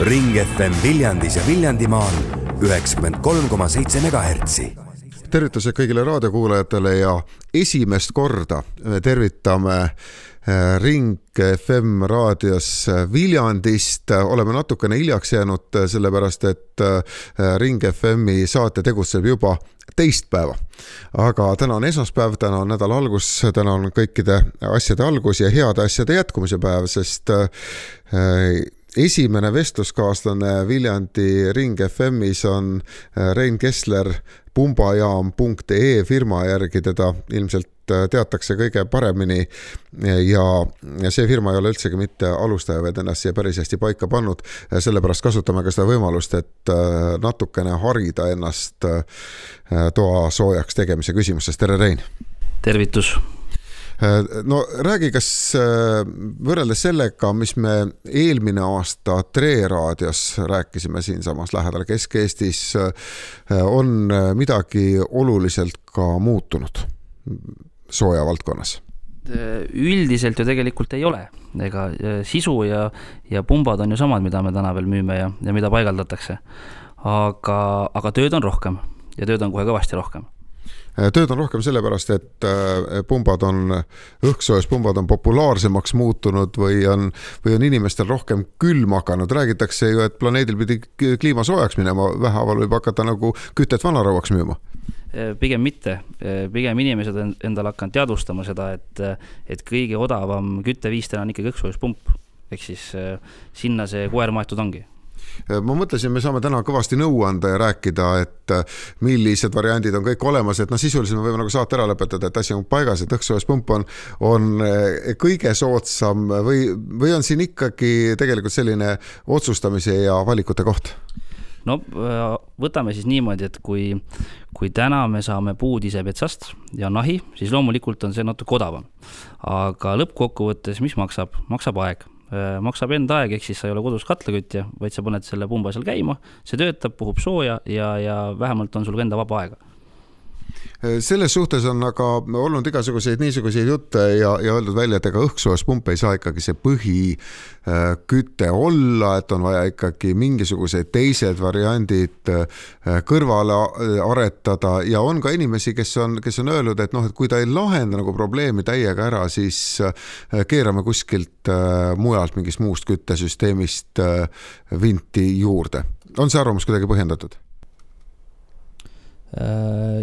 Ring FM Viljandis ja Viljandimaal 93,7 MHz. Tervitused kõigile raadiokuulajatele ja esimest korda tervitame Ring FM raadios Viljandist. Oleme natukene hiljaks jäänud sellepärast, et Ring FMi saate tegutseb juba teist päeva. Aga täna on esmaspäev, täna on nädala algus, täna on kõikide asjade algus ja heade asjade jätkumise päev, sest esimene vestluskaaslane Viljandi Ring FMis on Rein Kessler pumbajaam.ee firma järgi, teda ilmselt teatakse kõige paremini ja see firma ei ole üldsegi mitte alustaja, vaid ennast siia päris hästi paika pannud. Sellepärast kasutame ka seda võimalust, et natukene harida ennast toa soojaks tegemise küsimustes. Tere, Rein! Tervitus! No räägi, kas võrreldes sellega, mis me eelmine aasta Tre raadios rääkisime siinsamas lähedal Kesk-Eestis, on midagi oluliselt ka muutunud sooja valdkonnas? Üldiselt ju tegelikult ei ole. Ega sisu ja pumbad on ju samad, mida me täna veel müüme ja mida paigaldatakse. Aga tööd on rohkem ja tööd on kohe kõvasti rohkem. Tööd on rohkem sellepärast, et õhksoojuspunbad on populaarsemaks muutunud või on inimestel rohkem külm hakanud. Räägitakse ju, et planeedil pidi kliima soojaks minema, vähaaval võib hakata nagu kütet vanarauaks müüma. Pigem mitte. Pigem inimesed endal hakanud teadvustama seda, et kõige odavam kütteviis täna on ikkagi õhksoojuspump. Ehk siis sinna see koer maetud ongi. Ma mõtlesin, me saame täna kõvasti nõu anda ja rääkida, et millised variandid on kõik olemas, et sisuliselt me võime nagu saate ära lõpetada, et asi on paigas, et õhksoojuspump on kõige soodsam või on siin ikkagi tegelikult selline otsustamise ja valikute koht? No võtame siis niimoodi, et kui täna me saame puud ise petsast ja nahi, siis loomulikult on see natuke odavam. Aga lõppkokkuvõttes, mis maksab? Maksab aeg. Maksab enda aeg, ehk siis sa ei ole kodus katlakütja, vaid sa paned selle pumba seal käima, see töötab, puhub sooja ja vähemalt on sul enda vaba aega. Selles suhtes on aga olnud igasuguseid niisuguseid jutte ja öeldud välja, et ega õhksoojuspump ei saa ikkagi see põhiküte olla, et on vaja ikkagi mingisugused teised variandid kõrvale aretada ja on ka inimesi, kes on öelnud, et kui ta ei lahenda nagu probleemi täiega ära, siis keerame kuskilt mujalt mingist muust küttesüsteemist vinti juurde. On see arvamus kuidagi põhjendatud?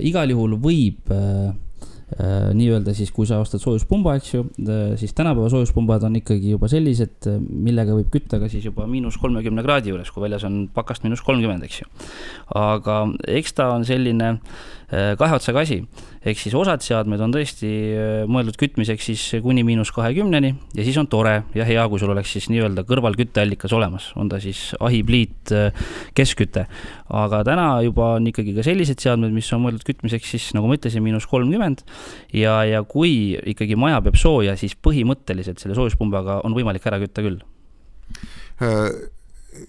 Igal juhul võib nii öelda siis, kui sa ostad soojuspumba, eks ju, siis tänapäeva soojuspumbad on ikkagi juba sellised, millega võib kütta ka siis juba -30 kraadi juures, kui väljas on pakast -30, eks ju. Aga eks ta on selline kahe otsaga asi. Ehk siis osad seadmed on tõesti mõeldud kütmiseks siis kuni -20 ja siis on tore ja hea, kui sul oleks siis nii-öelda kõrvalkütteallikas olemas. On ta siis ahipliit, keskküte. Aga täna juba on ikkagi ka sellised seadmed, mis on mõeldud kütmiseks siis, nagu ma ütlesin, -30 ja kui ikkagi maja peab sooja, siis põhimõtteliselt selle soojuspumbaga on võimalik ära kütta küll.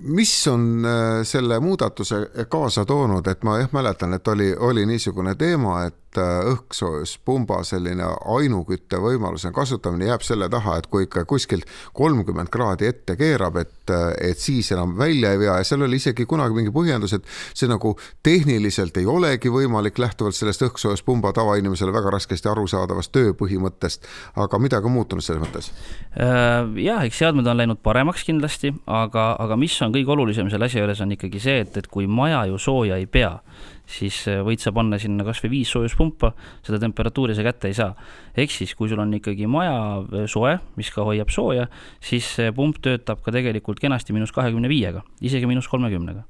Mis on selle muudatuse kaasa toonud, et ma mäletan, et oli niisugune teema, et õhksoojuspumba selline ainukütte võimaluse kasutamine jääb selle taha, et kui ikka kuskilt 30 kraadi ette keerab, et siis enam välja ei vea ja seal oli isegi kunagi mingi põhjendus, et see nagu tehniliselt ei olegi võimalik lähtuvalt sellest õhksoojuspumba tavainimesele väga raskesti arusaadavast tööpõhimõttest, aga midagi on muutunud selles mõttes? Jah, eks seadmed on läinud paremaks kindlasti, aga mis on kõige olulisem selle asja juures on ikkagi see, et kui maja ju sooja ei pea, siis võid sa panna sinna kas või 5 soojuspumpa, seda temperatuuri sa kätte ei saa. Ehk siis, kui sul on ikkagi maja soe, mis ka hoiab sooja, siis see pump töötab ka tegelikult kenasti -25, isegi -30.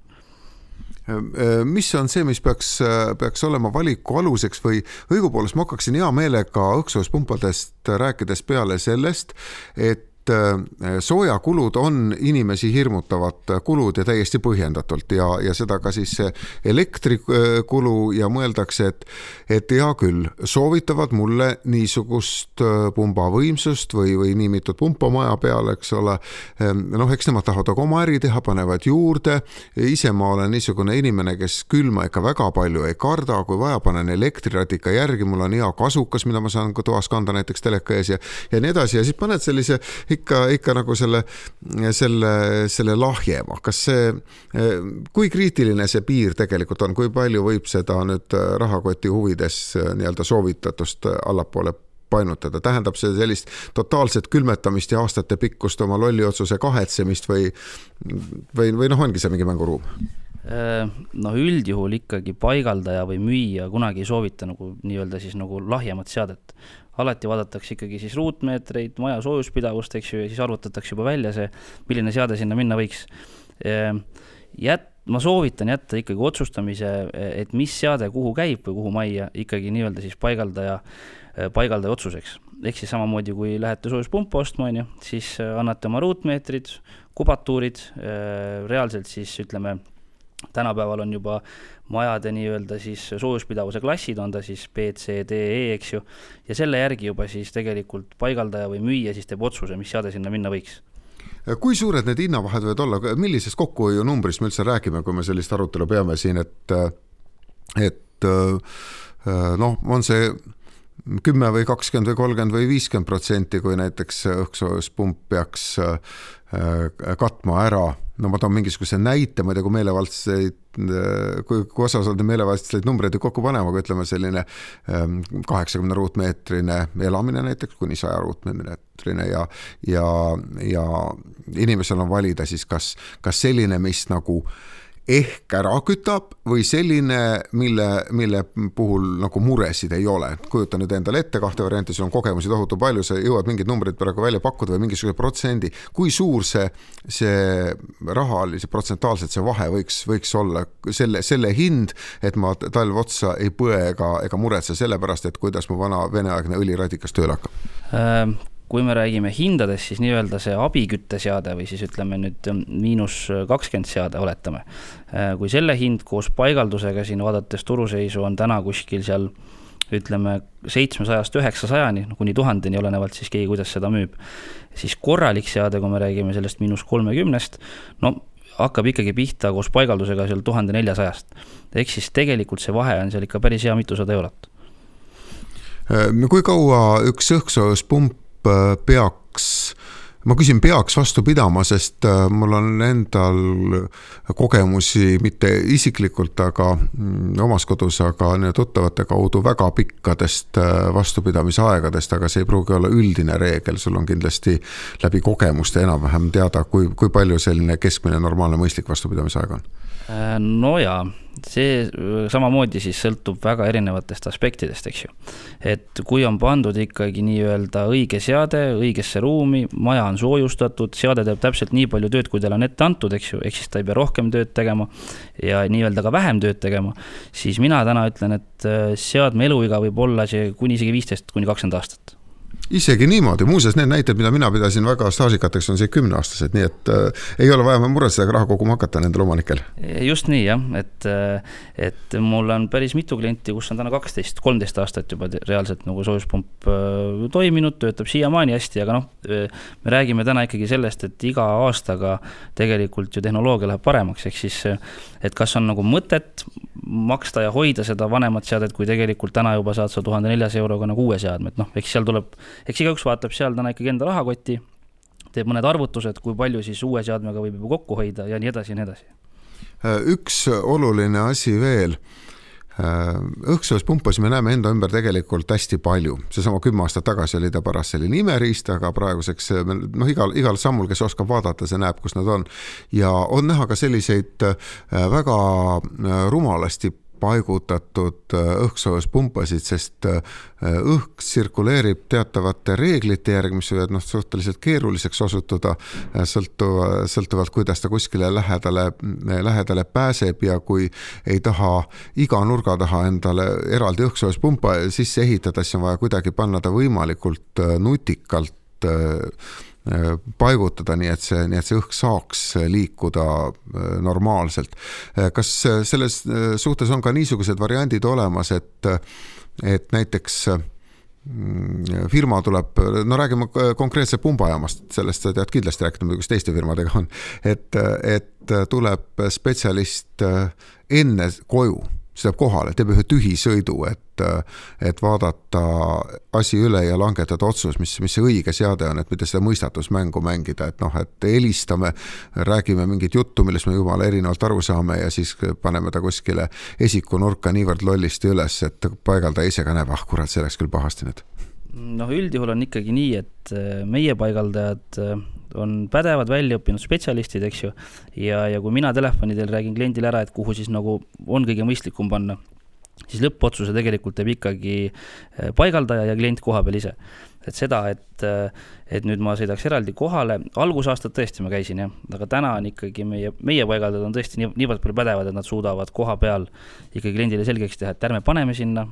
Mis on see, mis peaks olema valiku aluseks või õigupoolest ma hakkaksin hea meelega õhksoojuspumpadest rääkides peale sellest, et soojakulud on inimesi hirmutavad kulud ja täiesti põhjendatult ja seda ka siis elektrikulu ja mõeldakse, et hea küll, soovitavad mulle niisugust pumbavõimsust või nii mitut pumpa maja peale, eks ole. Eks nemad tahavad aga oma äri teha, panevad juurde. Ise ma olen niisugune inimene, kes külma ikka väga palju ei karda, kui vaja panen elektriradika järgi, mul on hea kasukas, mida ma saan ka toas kanda näiteks teleka ees ja nii edasi ja siis paned sellise ikka nagu selle lahjema, kas see, kui kriitiline see piir tegelikult on, kui palju võib seda nüüd rahakoti huvides nii-öelda soovitatust allapoole painutada, tähendab see sellist totaalset külmetamist ja aastate pikkust oma lolli otsuse kahetsemist või ongi see mingi mänguruum? Üldjuhul ikkagi paigaldaja või müüja kunagi ei soovita nagu nii-öelda siis nagu lahjemat seadet. Alati vaadatakse ikkagi siis ruutmeetreid, maja soojuspidavust, eks ju, ja siis arvutatakse juba välja see, milline seade sinna minna võiks. Ma soovitan jätta ikkagi otsustamise, et mis seade kuhu käib või kuhu majja ikkagi nii-öelda siis paigaldaja otsuseks. Ehk siis samamoodi, kui lähete soojuspumpa ostma, siis annate oma ruutmeetrid, kubatuurid, reaalselt siis ütleme, tänapäeval on juba majade nii-öelda siis soojuspidavuse klassid, on ta siis B, C, D, E, eks ju, ja selle järgi juba siis tegelikult paigaldaja või müüja siis teeb otsuse, mis seade sinna minna võiks. Kui suured need hinnavahed võivad olla, millisest kokkuhoiu numbrist me üldse räägime, kui me sellist arutelu peame siin, et on see 10 või 20 või 30 või 50%, kui näiteks õhksoojuspump peaks katma ära. Ma toon mingisuguse näite, ma ei tea, kui osas on meelevaldseid numbreid kokku panema, kui ütleme selline 80 ruutmeetrine elamine näiteks, kuni 100 ruutmeetrine ja inimesel on valida siis kas selline, mis nagu ehk ära kütab või selline, mille puhul nagu muresid ei ole. Kujuta nüüd endale ette kahte varianti, sul on kogemusi tohutu palju, sa jõuad mingid numbrid praegu välja pakkuda või mingisuguse protsendi. Kui suur see rahalise protsentaalselt see vahe võiks olla selle hind, et ma talv otsa ei põe ega muretse sellepärast, et kuidas mu vana veneaegne õliradikas tööl hakkab? Kui me räägime hindades, siis nii-öelda see abikütteseade või siis ütleme nüüd -20 seade oletame. Kui selle hind koos paigaldusega siin vaadates turuseisu on täna kuskil seal ütleme 700-900, kuni 1000, olenevalt siis keegi, kuidas seda müüb, siis korralik seade, kui me räägime sellest -30, hakkab ikkagi pihta koos paigaldusega seal 1400. Ehk siis tegelikult see vahe on seal ikka päris hea mitusada eurot. Kui kaua üks õhksoojuspump peaks vastu pidama, sest mul on endal kogemusi mitte isiklikult, aga omas kodus, aga tuttavate kaudu väga pikkadest vastupidamisaegadest, aga see ei pruugi olla üldine reegel, sul on kindlasti läbi kogemuste enam-vähem teada, kui palju selline keskmine normaalne mõistlik vastupidamisaeg on. No jaa, see samamoodi siis sõltub väga erinevatest aspektidest, eks ju. Et kui on pandud ikkagi nii-öelda õige seade, õigesse ruumi, maja on soojustatud, seade teeb täpselt nii palju tööd, kui teil on ette antud, eks ju, ehk siis ta ei pea rohkem tööd tegema ja nii-öelda ka vähem tööd tegema, siis mina täna ütlen, et seadme eluiga võib olla see kuni isegi 15-20 aastat. Isegi niimoodi, muuseas need näited, mida mina pidasin väga staažikateks, on see 10-aastased, nii et ei ole vaja muretseda raha koguma hakata nendel omanikel. Just nii, jah, et mul on päris mitu klienti, kus on täna 12-13 aastat juba reaalselt nagu soojuspump toiminud, töötab siiamaani hästi, aga me räägime täna ikkagi sellest, et iga aastaga tegelikult ju tehnoloogia läheb paremaks, ehk siis, et kas on nagu mõtet maksta ja hoida seda vanemat seadet, kui tegelikult täna juba saad sa 1400 euroga nagu uue seadme, et eks seal tuleb, eks igaüks vaatab seal täna ikkagi enda rahakoti, teeb mõned arvutused, kui palju siis uue seadmega võib juba kokku hoida ja nii edasi ja nii edasi. Üks oluline asi veel, õhksoojuspumpas me näeme enda ümber tegelikult hästi palju. Seesama 10 aastat tagasi oli ta paras selline imeriist, aga praeguseks igal sammul, kes oskab vaadata, see näeb, kus nad on. Ja on näha ka selliseid väga rumalasti paigutatud õhksoojuspunpasid, sest õhk tsirkuleerib teatavate reeglite järgi, mis võivad suhteliselt keeruliseks osutuda, sõltuvalt kuidas ta kuskile lähedale pääseb ja kui ei taha iga nurga taha endale eraldi õhksoojuspumpa sisse ehitada, siis on vaja kuidagi panna ta võimalikult nutikalt paigutada, nii et see õhk saaks liikuda normaalselt. Kas selles suhtes on ka niisugused variandid olemas, et näiteks firma tuleb, räägime konkreetse pumbajaamast, sellest sa tead kindlasti rääkida, kuidas teiste firmadega on, et tuleb spetsialist enne koju see teeb kohale, teeb ühe tühisõidu, et vaadata asi üle ja langetada otsus, mis see õige seade on, et mitte seda mõistatusmängu mängida, et et helistame, räägime mingit juttu, millest me jumala erinevalt aru saame ja siis paneme ta kuskile esikunurka niivõrd lollisti üles, et paigaldaja ise ka näeb, kurat, see oleks küll pahasti nüüd. Üldjuhul on ikkagi nii, et meie paigaldajad on pädevad väljaõppinud spetsialistid, eks ju, ja kui mina telefonidel räägin kliendile ära, et kuhu siis nagu on kõige mõistlikum panna, siis lõppotsuse tegelikult teeb ikkagi paigaldaja ja klient koha peal ise. Et seda, et nüüd ma sõidaks eraldi kohale, algusaastad tõesti ma käisin, jah, aga täna on ikkagi meie paigaldajad on tõesti niivõrd palju pädevad, et nad suudavad koha peal ikkagi kliendile selgeks teha, et ärme paneme sinna,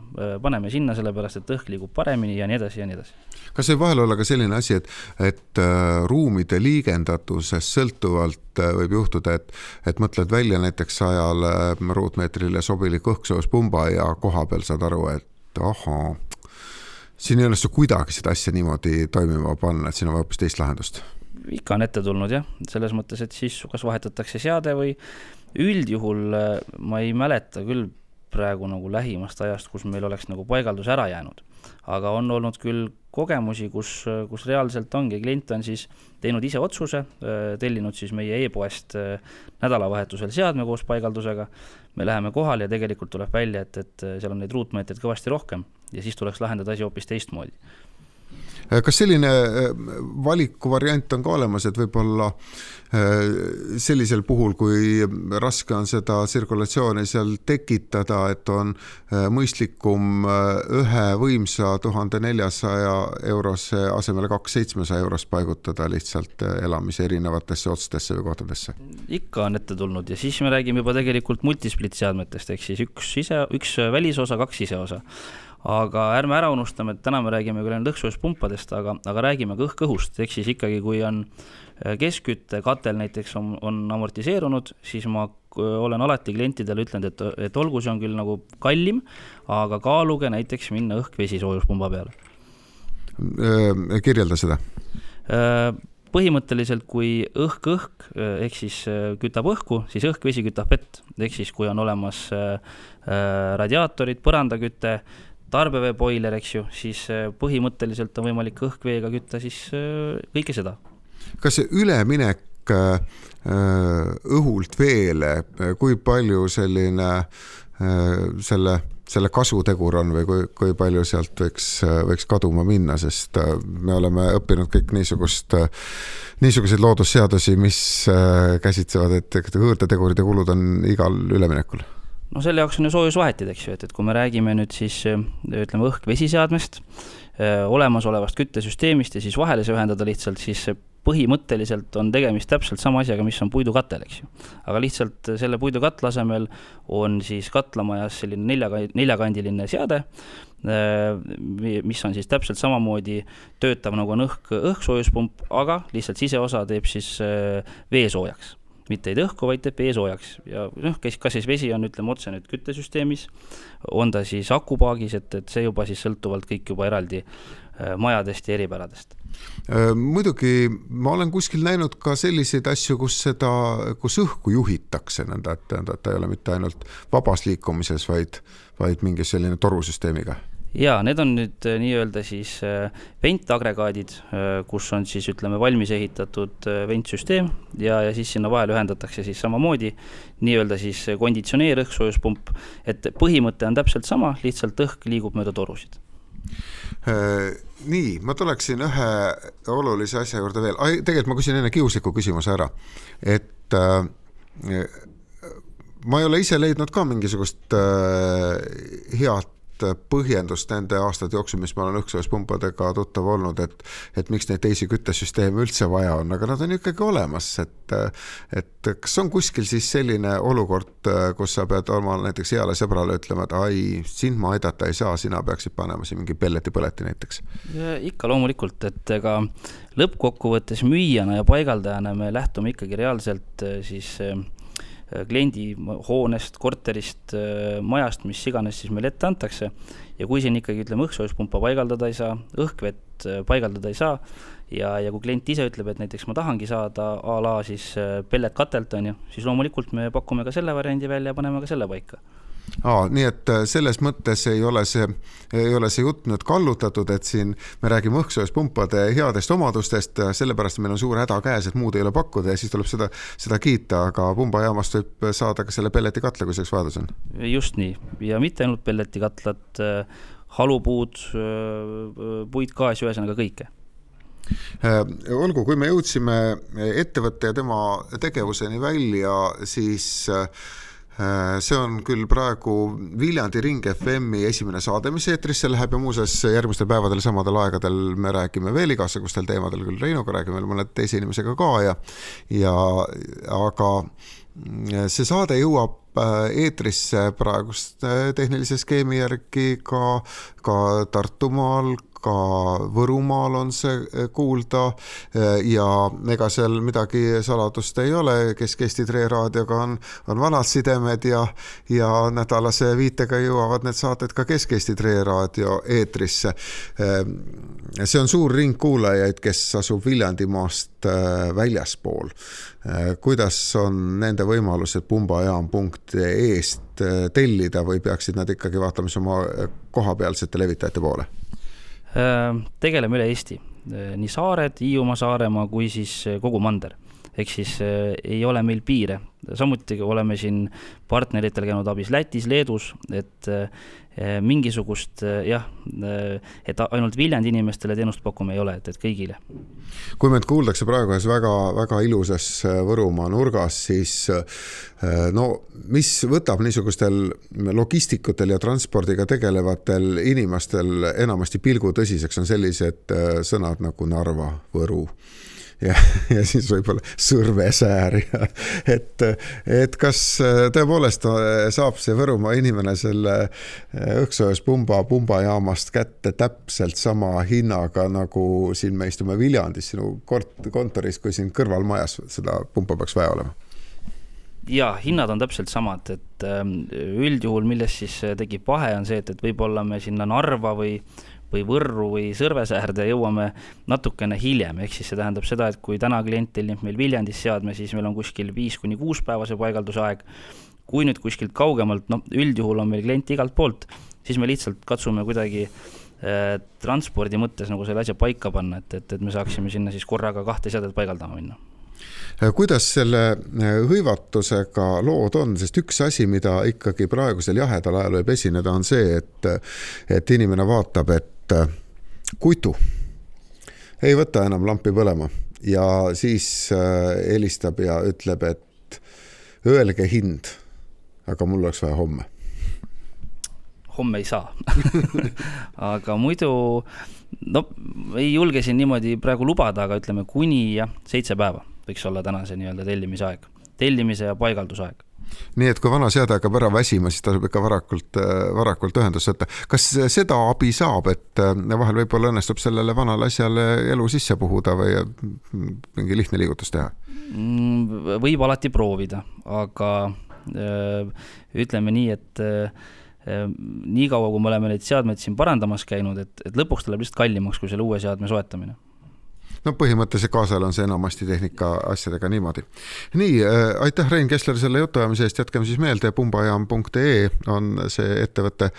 sellepärast, et õhk liigub paremini ja nii edasi ja nii edasi. Kas see vahel olla ka selline asi, et ruumide liigendatusest sõltuvalt võib juhtuda, et mõtled välja näiteks 100 ruutmeetrile sobilik õhksoojuspumba ja koha peal saad aru, et ahhaa, siin ei ole see kuidagi seda asja niimoodi toimima panna, et siin on hoopis teist lahendust? Ikka on ette tulnud, jah. Selles mõttes, et siis kas vahetatakse seade või üldjuhul ma ei mäleta küll praegu nagu lähimast ajast, kus meil oleks nagu paigaldus ära jäänud. Aga on olnud küll kogemusi, kus reaalselt ongi. Klient on siis teinud ise otsuse, tellinud siis meie e-poest nädalavahetusel seadme koos paigaldusega. Me läheme kohale ja tegelikult tuleb välja, et seal on neid ruutmeetreid kõvasti rohkem ja siis tuleks lahendada asi hoopis teistmoodi. Kas selline valikuvariant on ka olemas, et võib-olla sellisel puhul, kui raske on seda tsirkulatsiooni seal tekitada, et on mõistlikum ühe võimsa 1400 eurose asemele 2700 eurost paigutada lihtsalt elamise erinevatesse otstesse või kohtadesse? Ikka on ette tulnud ja siis me räägime juba tegelikult multisplit seadmetest, ehk siis üks välisosa, 2 siseosa. Aga ärme ära unustame, et täna me räägime küll lõhksoojuspumpadest, aga räägime ka õhkõhust, ehk siis ikkagi kui on keskkütte katel näiteks on amortiseerunud, siis ma olen alati klientidele ütlenud, et olgu see on küll nagu kallim, aga kaaluge näiteks minna õhk-vesi soojuspumba peale. Kirjelda seda. Põhimõtteliselt, kui õhk, ehk siis kütab õhku, siis õhk-vesi kütab vett, ehk siis kui on olemas radiaatorid, põrandaküte, tarbeveepoiler, eks ju, siis põhimõtteliselt on võimalik õhkveega kütta siis kõike seda. Kas see üleminek õhult veele, kui palju selline selle kasutegur on või kui palju sealt võiks kaduma minna, sest me oleme õppinud kõik niisuguseid loodusseadusi, mis käsitsevad, et hõõrdetegurid ja kulud on igal üleminekul. No selle jaoks on ju soojusvahetid, eks ju, et kui me räägime nüüd siis ütleme õhk-vesiseadmest, olemasolevast küttesüsteemist ja siis vahele see ühendada lihtsalt, siis põhimõtteliselt on tegemist täpselt sama asjaga, mis on puidukatel, eks ju. Aga lihtsalt selle puidukatla asemel on siis katlamajas selline neljakandiline seade, mis on siis täpselt samamoodi töötav nagu on õhksoojuspump, aga lihtsalt siseosa teeb siis veesoojaks. Mitte ei õhku, vaid teeb veesoojaks. Ja kas siis vesi on, ütleme otse nüüd küttesüsteemis, on ta siis akupaagis, et see juba siis sõltuvalt kõik juba eraldi majadest ja eripäradest. Muidugi ma olen kuskil näinud ka selliseid asju, kus õhku juhitakse, et ta ei ole mitte ainult vabas liikumises, vaid mingi selline torusüsteemiga. Jaa, need on nüüd nii-öelda siis ventagregaadid, kus on siis ütleme valmis ehitatud ventsüsteem ja siis sinna vahel ühendatakse siis samamoodi nii-öelda siis konditsioneer õhksoojuspump, et põhimõte on täpselt sama, lihtsalt õhk liigub mööda torusid. Nii, ma tuleksin ühe olulise asja juurde veel. Tegelikult ma küsin enne kiusliku küsimuse ära, et ma ei ole ise leidnud ka mingisugust head põhjendust nende aastate jooksul, mis ma olen õhksoojuspumpadega tuttav olnud, et miks neid teisi küttesüsteeme üldse vaja on, aga nad on ikkagi olemas, et kas on kuskil siis selline olukord, kus sa pead oma näiteks heale sõbrale ütlema, et ai, sind ma aidata ei saa, sina peaksid panema siin mingi pelleti näiteks? Ikka loomulikult, et ega lõppkokkuvõttes müüjana ja paigaldajana me lähtume ikkagi reaalselt siis kliendi hoonest, korterist, majast, mis iganes siis meil ette antakse. Ja kui siin ikkagi ütleme õhksoojuspumpa paigaldada ei saa, õhkvett paigaldada ei saa ja kui klient ise ütleb, et näiteks ma tahangi saada a la siis pellet katelt on ju, siis loomulikult me pakume ka selle variandi välja ja paneme ka selle paika. Nii et selles mõttes ei ole see jutt nüüd kallutatud, et siin me räägime õhksoojuspunpade headest omadustest, sellepärast meil on suur häda käes, et muud ei ole pakkuda ja siis tuleb seda kiita, aga pumbajaamast võib saada ka selle pelletikatla, kui selleks vajadus on. Just nii, ja mitte ainult pelletikatlad, halupuud, puitgaas, ühesõnaga kõike. Olgu, kui me jõudsime ettevõtte ja tema tegevuseni välja, siis see on küll praegu Viljandi Ring FM-i esimene saade, mis eetrisse läheb ja muuseas järgmistel päevadel samadel aegadel me räägime veel igasugustel teemadel, küll Reinuga räägime veel mõned teise inimesega ka aga see saade jõuab eetrisse praegust tehnilise skeemi järgi ka Tartumaal, ka Võrumaal on see kuulda ja ega seal midagi saladust ei ole, Kesk-Eesti Tre raadioga on vanad sidemed ja nädalase viitega jõuavad need saated ka Kesk-Eesti Tre raadio eetrisse. See on suur ring kuulajaid, kes asub Viljandimaast väljaspool. Kuidas on nende võimalused pumbajaam.ee-st tellida või peaksid nad ikkagi vaatama oma kohapealsete levitajate poole? Tegeleme üle Eesti, nii Saared, Hiiumaa, Saaremaa kui siis kogu mander. Ehk siis ei ole meil piire. Samuti oleme siin partneritel käinud abis Lätis, Leedus, et mingisugust, et ainult Viljandi inimestele teenust pakume ei ole, et kõigile. Kui meid kuuldakse praegu ühes väga, väga ilusas Võrumaa nurgas, siis mis võtab niisugustel logistikutel ja transpordiga tegelevatel inimestel enamasti pilgu tõsiseks on sellised sõnad nagu Narva, Võru. Ja siis võib-olla Sõrvesäär. Et kas tõepoolest saab see Võrumaa inimene selle õhksoojuspumbajaamast kätte täpselt sama hinnaga, nagu siin me istume Viljandis sinu kontoris, kui siin kõrval majas seda pumpa peaks vaja olema? Ja, hinnad on täpselt samad, et üldjuhul, milles siis tekib vahe, on see, et võib-olla me sinna Narva või Võrru või Sõrvesäärde jõuame natukene hiljem, ehk siis see tähendab seda, et kui täna klient tellib meil Viljandis seadme, siis meil on kuskil 5-6 päevase paigaldusaeg. Kui nüüd kuskilt kaugemalt, üldjuhul on meil klient igalt poolt, siis me lihtsalt katsume kuidagi transpordi mõttes nagu selle asja paika panna, et me saaksime sinna siis korraga 2 seadet paigaldama minna. Kuidas selle hõivatusega lood on, sest üks asi, mida ikkagi praegusel jahedal ajal võib esineda, on see, et inimene vaatab, et kuitu ei võta enam lampi põlema ja siis helistab ja ütleb, et öelge hind, aga mul oleks vaja homme. Homme ei saa. Aga muidu ei julge siin niimoodi praegu lubada, aga ütleme kuni 7 päeva võiks olla tänase nii-öelda tellimise ja paigaldusaeg. Nii et kui vana seade hakkab ära väsima, siis tasub ikka varakult ühendust võtta. Kas seda abi saab, et vahel võib-olla õnnestub sellele vanale asjale elu sisse puhuda või mingi lihtne liigutus teha? Võib alati proovida, aga ütleme nii, et nii kaua, kui me oleme neid seadmeid siin parandamas käinud, et lõpuks tuleb lihtsalt kallimaks kui selle uue seadme soetamine. Põhimõtteliselt kaasal on see enamasti tehnika asjadega niimoodi. Nii, aitäh Rein Kessler selle jutuajamise eest, jätkame siis meelde, pumbajaam.ee on see ettevõte,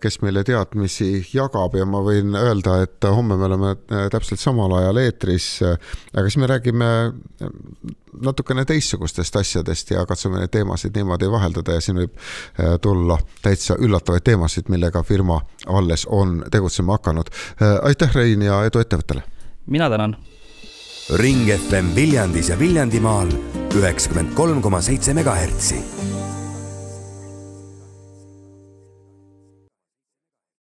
kes meile teadmisi jagab ja ma võin öelda, et homme me oleme täpselt samal ajal eetris, aga siis me räägime natukene teissugustest asjadest ja katsume neid teemasid niimoodi vaheldada ja siin võib tulla täitsa üllatavaid teemasid, millega firma alles on tegutsema hakanud. Aitäh Rein ja edu ettevõttele! Mina tänan. Ring FM Viljandis ja Viljandimaal 93,7 MHz.